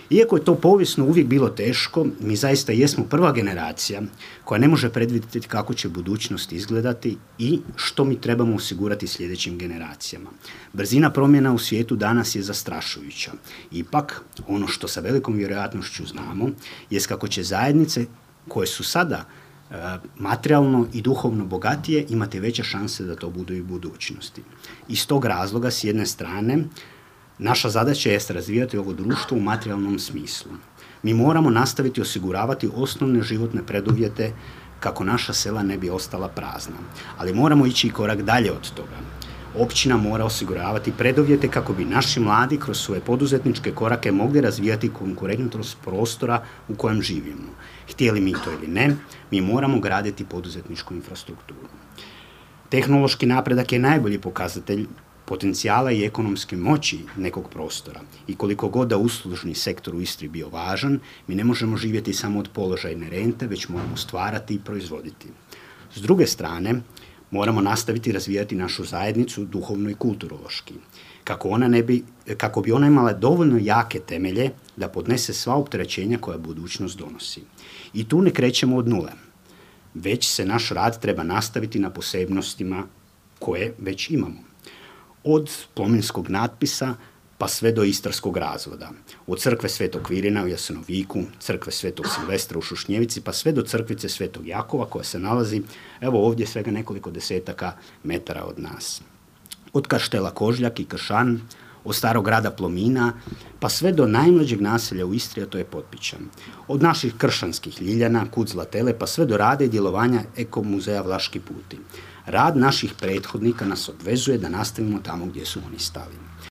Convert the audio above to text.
Iako je to povijesno uvijek bilo teško, mi zaista jesmo prva generacija koja ne može predvidjeti kako će budućnost izgledati i što mi trebamo osigurati sljedećim generacijama. Brzina promjena u svijetu danas je zastrašujuća. Ipak, ono što sa velikom vjerojatnošću znamo, jest kako će zajednice koje su sada materijalno i duhovno bogatije imati veće šanse da to budu i u budućnosti. Iz tog razloga, s jedne strane, naša zadaća je razvijati ovo društvo u materijalnom smislu. Mi moramo nastaviti osiguravati osnovne životne preduvjete kako naša sela ne bi ostala prazna. Ali moramo ići i korak dalje od toga. Općina mora osiguravati preduvjete kako bi naši mladi kroz svoje poduzetničke korake mogli razvijati konkurentnost prostora u kojem živimo. Htjeli mi to ili ne, mi moramo graditi poduzetničku infrastrukturu. Tehnološki napredak je najbolji pokazatelj potencijala i ekonomske moći nekog prostora. I koliko god da uslužni sektor u Istri bio važan, mi ne možemo živjeti samo od položajne rente, već moramo stvarati i proizvoditi. S druge strane, moramo nastaviti razvijati našu zajednicu duhovno i kulturološki, kako bi ona imala dovoljno jake temelje da podnese sva opterećenja koja budućnost donosi. I tu ne krećemo od nule, već se naš rad treba nastaviti na posebnostima koje već imamo. Od plominskog natpisa pa sve do istarskog razvoda. Od crkve Svetog Kvirina u Jasenoviku, crkve Svetog Silvestra u Šušnjevici, pa sve do crkvice Svetog Jakova koja se nalazi, evo ovdje svega nekoliko desetaka metara od nas. Od kaštela Kožljak i Kršan, od starog grada Plomina, pa sve do najmlađeg naselja u Istri, a to je Potpićan. Od naših kršanskih Ljiljana, Kud Zlatele, pa sve do rada i djelovanja Eko-muzeja Vlaški puti. Rad naših prethodnika nas obvezuje da nastavimo tamo gdje su oni stali.